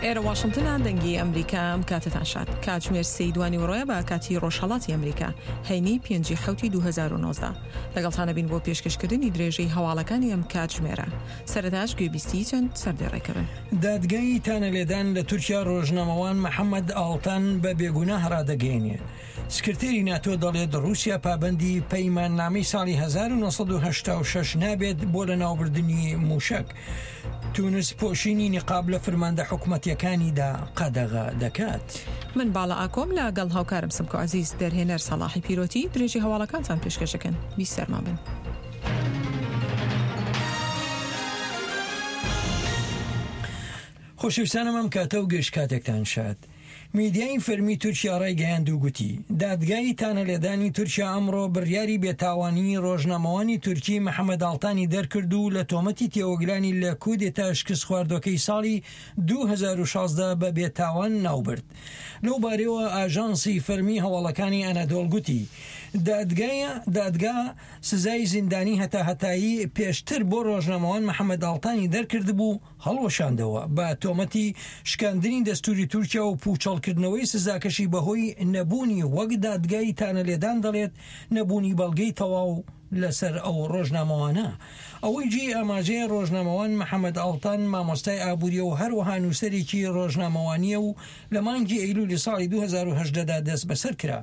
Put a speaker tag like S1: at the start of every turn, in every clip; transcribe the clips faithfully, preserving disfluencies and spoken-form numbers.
S1: ئێرە واشنتنە، دەنگی ئەمریکا. ئەم کاتەتان شاد. کاتژمێر سێی دوانیوەڕۆیە بە کاتی ڕۆژهەڵاتی ئەمریکا، هەینی پێنجی حەوتی دوو هەزار و نۆزدە. لەگەڵتانە بین بۆ پێشکەشکردنی درێژەی هەواڵەکانی ئەم کاتژمێرە. سەرەتاش گوێبیستی چەند سەردێڕێکە بن.
S2: دادگای تانەلێدان لە تورکیا ڕۆژنامەوان محەممەد ئاڵتان بە بێگوناه ڕادەگەیەنێ. سکرتێری ناتۆ دەڵێت ڕووسیا پابەندی پەیماننامەی ساڵی هەزار و نۆ سەد و هەشتا و شەش نابێت بۆ لەناوبردنی مووشەک. تونس پۆشینی نیقاب لە فرماندە حکومەتیەکانیدا قەدەغە دەکات.
S1: من باڵا ئاکۆم لەگەڵ هاوکارم سمکۆ عەزیز، دەرهێنەر سەڵاحی پیرۆتی، درێژی هەواڵەکانتان پێشکەشەکەن. بیسەرمان بن.
S2: خۆشەویستانم ئەم کاتە و گشت کاتێکتان شاد. میدیای فەرمی تورکیا ڕایگەیاند و گوتی دادگای تانەلێدانی تورکیا ئەمڕۆ بڕیاری بێتاوانی ڕۆژنامەوانی تورکی محەممەد ئاڵتانی دەرکرد و لە تۆمەتی تێوەگلانی لە کودێتا شکست خواردوەکەی ساڵی دوو هەزار و شازدە بە بێتاوان ناوبرد. لەو بارەوە ئاژانسی فەرمی هەواڵەکانی ئەنادۆڵ گوتی دادگای دادگا سزای زیندانی هەتا هەتایی پێشتر بۆ ڕۆژنامەوان محەممەد ئاڵتانی دەرکردبوو هەڵوەشاندەوە بە تۆمەتی شکاندنی دەستوری تورکیا و پوچەڵکردنەوەی سزاکەشی بەهۆی نەبوونی وەک دادگای تانەلێدان دەڵێت نەبوونی بەڵگەی تەواو لەسەر ئەو ڕۆژنامەوانە. ئەوەی جێی ئاماژەیە ڕۆژنامەوان محەممەد ئاڵتان مامۆستای ئابووریە و هەروەها نووسەرێکی ڕۆژنامەوانیە و لە مانگی ئەیلولی ساڵی دوو هەزار و هەژدەدا دەست بەسەر کرا.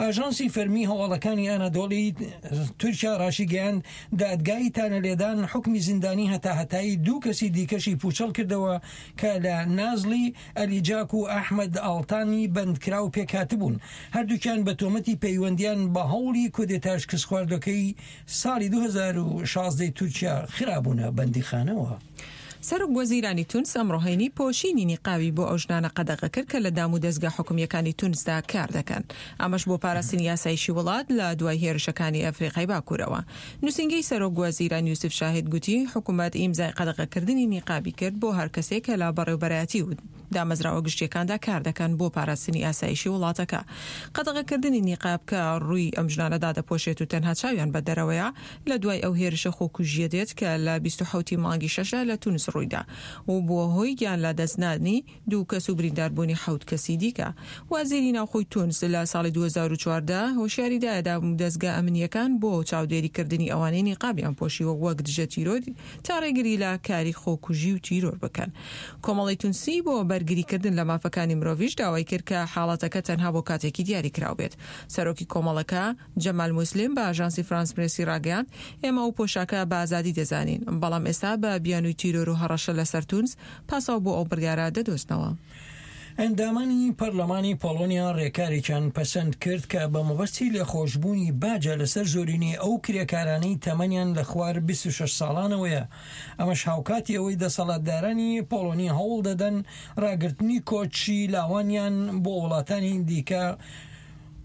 S2: ئاژانسی فەرمی هەواڵەکانی ئەنادۆڵی تورکیا ڕاشیگەیاند دادگای تانەلێدان حکمی زیندانی هەتا هەتایی دوو کەسی دیکەشی پوچەڵ کردەوە کە لە نازلی ئەلیجاک و ئەحمەد ئاڵتانی بەندکراو پێکهاتبوون. هەردووکیان بە تۆمەتی پەیوەندیان بە هەوڵی کودێتا شکست خواردوەکەی ساڵی دوو هەزار و شازدە تورکیا خرابوونە بەندیخانەوە.
S1: سەرۆک وەزیرانی تونس ئەمڕۆ هەینی پۆشینی نیقاوی بۆ ئەو ژنانە قەدەغە کرد کە لە دام و دەزگا حکومیەکانی تونسدا کار دەکەن، ئەمەش بۆ پاراستنی یاسایشی وڵات لە دوای هێرشەکانی ئەفریقای باکوورەوە. نووسینگەی سەرۆک وەزیران یوسف شاهید گوتی حکوومەت ئیمزای قەدەغەکردنی نیقابی کرد بۆ هەر کەسێک کە لە بەڕێوبەرایەتی و دامەزراوە گشتیەکاندا کار دەکەن بۆ پاراستنی ئاسایشی وڵاتەکە. قەدەغەکردنی نیقاب کە ڕووی ئەم ژنانەدا دەپۆشێت و تەنها چاویان بە دەرەوەیە لە دوای ئەو هێرشە خۆکوژیە دێت کە لە بیست و حەوتی مانگی شەشدا لە تونس ڕوویدا و بووە هۆی گیان لە دەستنانی دوو کەس و برینداربوونی حەوت کەسی دیکە. وەزیری ناوخۆی تونس لە ساڵی دوو هەزار و چواردە هۆشیاری دایە دامودەزگا ئەمنیەکان بۆ چاودێریکردنی ئەوانەی نیقابیان پۆشیوە وەک دژە تیرۆر تا ڕێگری لە کاری خۆکوژی و تیرۆر بکەن. کۆمەڵی تونسی بۆ بەرگریکردن لە مافەکانی مرۆڤیش داوای کرد کە حاڵەتەکە تەنها بۆ کاتێکی دیاری کراو بێت. سەرۆکی کۆمەڵەکە جەمال موسلیم بە ئاژانسی فرانس پرێسی ڕاگەیاند ئێمە ئەو پۆشاکە بە ئازادی دەزانین، بەڵام ئێستا بە بیانووی تیرۆر و هەڕەشە لەسەر تونس پاساو بۆ ئەو بڕیارە دەدۆزنەوە.
S2: ئەندامانی پەرلەمانی پۆڵۆنیا ڕێکارێکیان پەسەند کرد کە بە مەبەستی لێخۆشبوونی باجە لەسەر زۆرینەی ئەو کرێکارانەی تەمەنیان لە خوار بیست و شەش ساڵانەوەیە. ئەمەش هاوکاتی ئەوەی دەسەڵاتدارانی پۆڵۆنی هەوڵ دەدەن ڕاگرتنی کۆچی لاوانیان بۆ وڵاتانی دیکە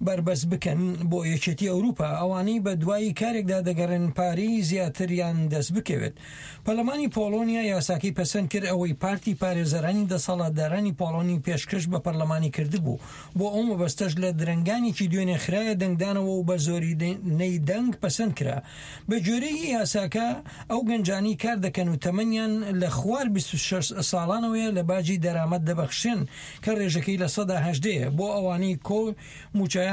S2: بەربەست بکەن بۆ یەکێتی ئەوروپا، ئەوانەی بە دوای کارێکدا دەگەڕێن پارەی زیاتریان دەست بکەوێت. پەرلەمانی پۆڵۆنیا یاساکەی پەسەند کرد ئەوەی پارتی پارێزەرانی دەسەڵاتدارانی پۆڵۆنی پێشکەش بە پەرلەمانی کردبوو. بۆ ئەو مەبەستەش لە درەنگانێکی دوێنێ خرایە دەنگدانەوە و بە زۆرینەی دەنگ پەسەند کرا. بە گوێرەی یاساکە ئەو گەنجانی کار دەکەن و تەمەنیان لە خوار بیست و شەش ساڵانەوەیە لە باجی دەرامەت دەبەخشێن کە ڕێژەکەی لە سەدا هەژدەیە بۆ ئەوانەی کۆ موچەیان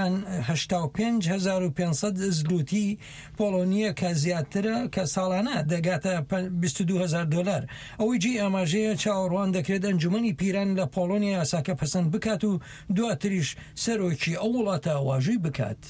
S2: هەشتا و پێنج هەزار و پێنج سەد زلوتی پۆڵۆنیە کە زیاترە کە ساڵانە دەگاتە بیست و دوو هەزار دلار. ئەوەی جێی ئاماژەیە چاوەڕوان دەکرێت ئەنجومەنی پیران لە پۆڵۆنیا یاساکە پەسەند بکات و دواتریش سەرۆکی ئەو وڵاتە واژووی بکات.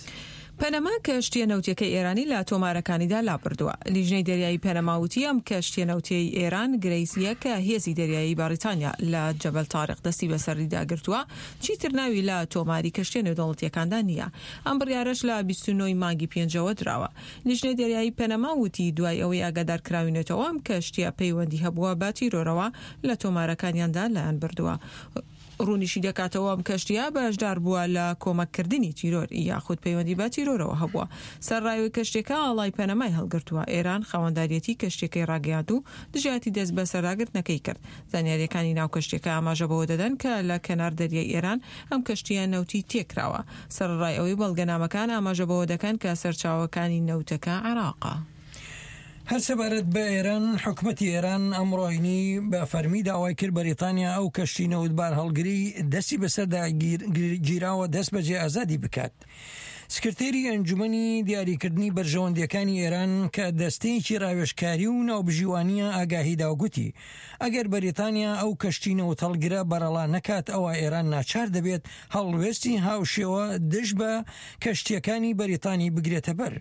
S1: پەنەما کەشتیە نەوتیەکەی ئێرانی لە تۆمارەکانیدا لابردووە. لیژنەی دەریایی پەنەما وتی ئەم کەشتیە نەوتیەی ئێران گرەیسیە کە هێزی دەریایی بەریتانیا لە جەبەل تاریق دەستی بەسەریدا گرتووە، چیتر ناوی لە تۆماری کەشتیە نێودەوڵەتیەکاندا نییە. ئەم بڕیارەش لە بیست و نۆ مانگی پێنجەوە دراوە. لیژنەی دەریایی پەنەما وتی دوای ئەوەی ئاگادار کراوینێتەوە ئەم کەشتیە پەیوەندی هەبووە بە تیرۆرەوە لە تۆمارەکانیاندا لایان بردووە. ڕوونیشی دەکاتەوە ئەم کەشتیە بەشدار بووە لە کۆمەککردنی تیرۆر یاخود پەیوەندی بە تیرۆرەوە هەبووە. سەرڕایەوەی کەشتێکە ئاڵای پەنەمای هەڵگرتووە. ئێران خاوەنداریەتی کەشتێکەی ڕاگەیاند و دژایەتی دەست بە سەرداگرتنەکەی کرد. زانیاریەکانی ناو کەشتێکە ئاماژە بەوە دەدەن کە لە کەنار دەریای ئێران ئەم کەشتیە نەوتی تێکراوە. سەرڕای ئەوەی بەڵگەنامەکان ئاماژە بەوە دەکەن کە سەرچاوەکانی نەوتەکە عێراقە.
S2: هەر سەبارەت بە ئێران، حکومەتی ئێران ئەمڕۆ هەینی بە فەرمی داوای کرد بەریتانیا ئەو کەشتی نەوتبار هەڵگری دەستی بەسەردا گیراوە دەست بەجێ ئازادی بکات. سکرتێری ئەنجومەنی دیاریکردنی بەرژەوەندیەکانی ئێران کە دەستەیەکی ڕاوێژکاری و ناوبژیوانیە ئاگاهیدا و گوتی ئەگەر بەریتانیا ئەو کەشتی نەوتهەڵگرە بەرەڵا نەکات ئەوە ئێران ناچار دەبێت هەڵوێستی هاوشێوە دژ بە کەشتیەکانی بەریتانی بگرێتە بەر.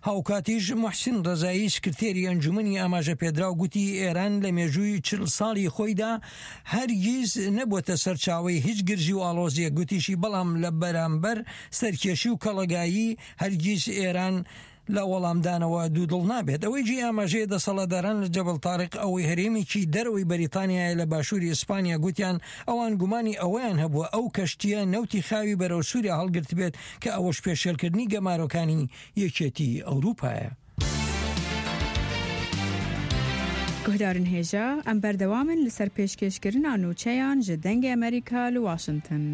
S2: هاوکاتیش محسن ڕەزایی سکرتێری ئەنجومەنی ئاماژە پێدراو گوتی ئێران لە مێژووی چل ساڵی خۆیدا هەرگیز نەبووەتە سەرچاوەی هیچ گرژی و ئاڵۆزیەک، گوتیشی بەڵام لە بەرامبەر سەرکێشی و کەڵەگایی هەرگیز ئێران لە وەڵامدانەوە دوودڵ نابێت. ئەوەی جێی ئاماژەیە دەسەڵاتداران لە جەبەل تاریق ئەوەی هەرێمێکی دەرەوەی بەریتانیایە لە باشووری ئیسپانیا گوتیان ئەوان گومانی ئەوەیان هەبووە ئەو کەشتیە نەوتی خاوی بەرەو سووریا هەڵگرتبێت کە ئەوەش پێشێلکردنی گەمارۆکانی یەکێتی ئەوروپایە.
S3: گوهدارن هێژا ئەم بەردەوامن لەسەر پێشکێشکردنا نوچەیان ji دەنگê ئەمریکا li واشنگتن.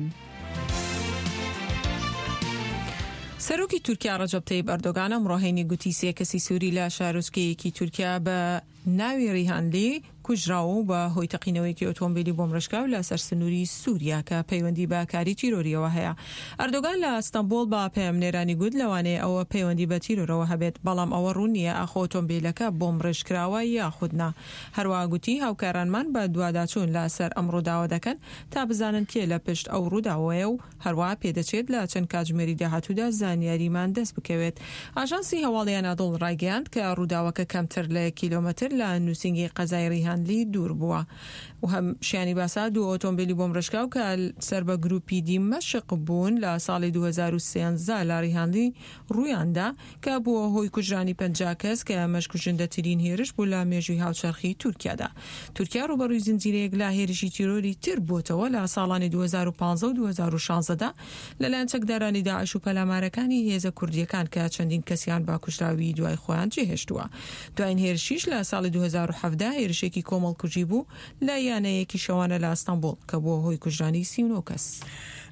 S1: سەرۆکی تورکیا ڕەجەب تەیب ئەردۆغان ئەمڕۆ هەینی گوتی سێ کەسی سووری لە شارۆچکەیەکی تورکیا بە ناوی ڕیهانلی کوژراو و بە هۆی تەقینەوەیەکی ئۆتۆمبیلی بۆمڕێژکراو لەسەر سنووری سووریا کە پەیوەندی بە کاری تیرۆریەوە هەیە. ئەردۆغان لە ئەستەنبوڵ بە پەیامنێرانی گوت لەوانەیە ئەوە پەیوەندی بە تیرۆرەوە هەبێت، بەڵام ئەوە ڕوون نییە ئاخۆ ئۆتۆمبیلەکە بۆمڕێژکراوە یاخود نا. هەروەها گوتی هاوکارانمان بە دواداچوون لەسەر ئەم ڕووداوە دەکەن تا بزانن کێ لە پشت ئەو ڕووداوەیە و هەروەها پێدەچێت لە چەند کاتژمێری داهاتوودا زانیاریمان دەست بکەوێت. ئاژانسی هەواڵی ئەنادۆڵ ڕایگەیاند کە ڕووداوەکە کەمتر لە کیلۆمەتر لە نووسینگەی قەزای ڕیهانلی دوور بووە. و هەم شیانی باسا دوو ئۆتۆمبیلی بۆمڕێژکراو کە سەر بە گروپی دیمەشق بوون لە ساڵی دوو هەزار و سێزدە لە ڕیهانلی ڕوویاندا کە بووە هۆی کوژرانی پەنجا کەس کە ئەمەش کوژندەترین هێرش بوو لە مێژووی هاوچەرخی تورکیادا. تورکیا ڕووبەڕووی زنجیرەیەک لە هێرشی تیرۆری تر بووتەوە لە ساڵانی دوو هەزار و پازدە و دوو هەزار و شازدە لەلایەن چەکدارانی داعش و پەلامارەکانی هێزە کوردیەکان کە چەندین کەسیان بە کوژراوی دوای خۆیان جێهێشتووە. دوایین هێرشیش لە ساڵی دوو هەزار و حەڤدە هێرشێکی کۆمەڵکوژی بوو لە یانەیەکی شەوانە لە ئەستەنبوڵ کە بووە هۆی کوژرانی سی و نۆ کەس.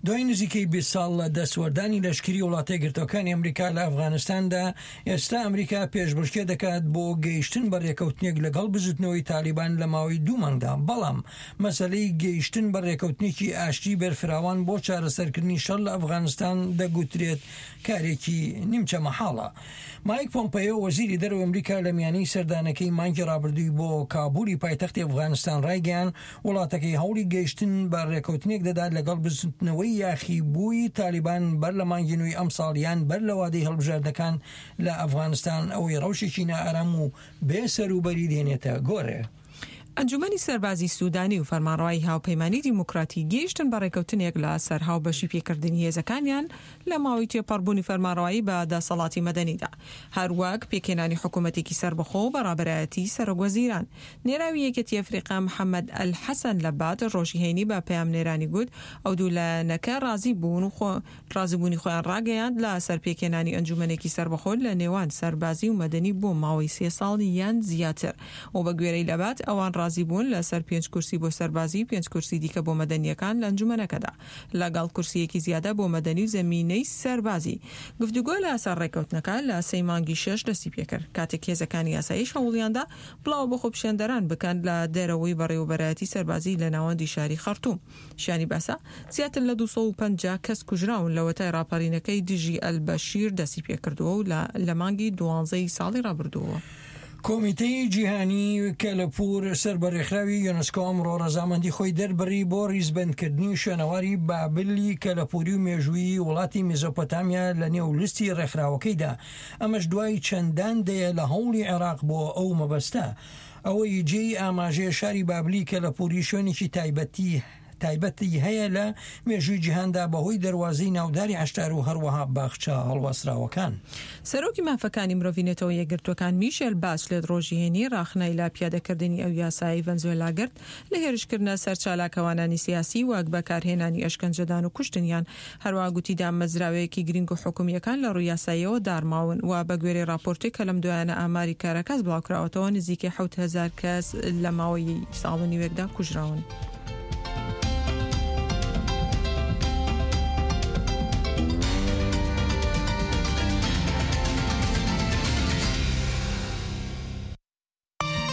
S2: دوای نزیکەی بیست ساڵ لە دەستوەردانی لەشکری وڵاتە یەکگرتووەکانی ئەمریکا لە ئەفغانستاندا، ئێستا ئەمریکا پێشبڕکێ دەکات بۆ گەیشتن بە ڕێکەوتنێک لەگەڵ بزوتنەوەی تالیبان لە ماوەی دوو مانگدا، بەڵام مەسەلەی گەیشتن بە ڕێکەوتنێکی ئاشتی بەرفراوان بۆ چارەسەرکردنی شەڕ لە ئەفغانستان دەگوترێت کارێکی نیمچە مەحاڵە. مایک پۆمپەیۆ وەزیری دەرەوەی ئەمریکا لە میانەی سەردانەکەی مانگی ڕابردووی بۆ کابولی پایتەختی ئەفغانستان ڕایگەیان وڵاتەکەی هەوڵی گەیشتن بە ڕێکەوتنێک دەدات لەگەڵ بزوتنەوەی یاخیبووی تالیبان بەر لە مانگی نوێی ئەمساڵ یان بەر لە وادەی هەڵبژاردنەکان لە ئەفغانستان ئەوەی ڕەوشێکی نائارام و بێ سەروبەری دێنێتە گۆڕێ.
S1: ئەنجومەنی سەربازی سوودانی و فەرمانڕەوای هاوپەیمانی دیموکراتی گەیشتن بە ڕێکەوتنێک لە سەر هاوبەشی پێکردنی هێزەکانیان لە ماوەی تێپەڕبوونی فەرمانڕەوایی بە دەسەڵاتی مەدەنیدا، هەروەک پێکهێنانی حکوومەتێکی سەربەخۆ و بەڕابەرایەتی سەرۆک وەزیران. نێراوی یەکێتی ئەفریقا محەممەد ئەلحەسەن لەبات ڕۆژی هەینی بە پەیامنێرانی گوت ئەو دوو لایەنەکە ڕازی بوون و ڕازیبوونی خۆیان ڕاگەیاند لە سەر پێکهێنانی ئەنجومەنێکی سەربەخۆ لە نێوان سەربازی و مەدەنی بۆ ماوەی سێ ساڵ یان زیاتر و بە گوێرەی لەبات ئەوان ڕازی بوون لەسەر پێنج کورسی بۆ سەربازی و پێنج کورسی دیکە بۆ مەدەنیەکان لە ئەنجومەنەکەدا لەگەڵ کورسیەکی زیادە بۆ مەدەنی و زەمینەی سەربازی. گفتوگۆ لەسەر ڕێکەوتنەکە لە سێ مانگی شەش دەستی پێکرد کاتێک هێزەکانی ئاسایش هەوڵیاندا بڵاو بە خۆپیشاندەران بکەن لە دەرەوەی بەڕێوەبەرایەتی سەربازی لە ناوەندی شاری خەرتوم. شیانی باسە زیاتر لە دوو سەد و پەنجا کەس کوژراون لەوەتای ڕاپەڕینەکەی دژی ئەلبەشیر دەستی پێکردووە و لە مانگی دوانزەی ساڵی ڕابردووە.
S2: کۆمیتەی جیهانی کەلەپوور سەر بە ڕێکخراوی یونسکۆ ئەمڕۆ ڕەزامەندی خۆی دەربڕی بۆ ڕیزبەندکردنی شوێنەواری بابلی کەلەپووری و مێژوویی وڵاتی میزۆپۆتامیا لە نێو لیستی ڕێکخراوەکەیدا، ئەمەش دوای چەندان دەیە لە هەوڵی عێراق بۆ ئەو مەبەستە. ئەوەی جێی ئاماژەیە شاری بابلی کەلەپووری شوێنێکی تایبەتی تایبەتی هەیە لە مێژووی جیهاندا بەهۆی دەروازەی ناوداری عەشتار و هەروەها باخچە هەڵواسراوەکان.
S1: سەرۆکی مافەکانی مرۆڤی نەتەوە یەکگرتووەکان میشێل باچلێت ڕۆژی هەینی ڕاخنای لە پیادەکردنی ئەو یاسایی ڤەنزوێلا گرت لە هێرشکردنە سەر چالاکەوانانی سیاسی وەک بەکارهێنانی ئەشکەنجەدان و کوشتنیان. هەروەها گوتی دامەزراوەیەکی گرنگ و حکومیەکان لە ڕووی یاساییەوە دارماون و بە گوێرەی راپۆرتێک کە لەم دوایانە ئاماری کاراکاس بڵاوکراوەتەوە نزیکەی حەوت هەزار کەس لە ماوەی ساڵ و نیوێکدا کوژراون.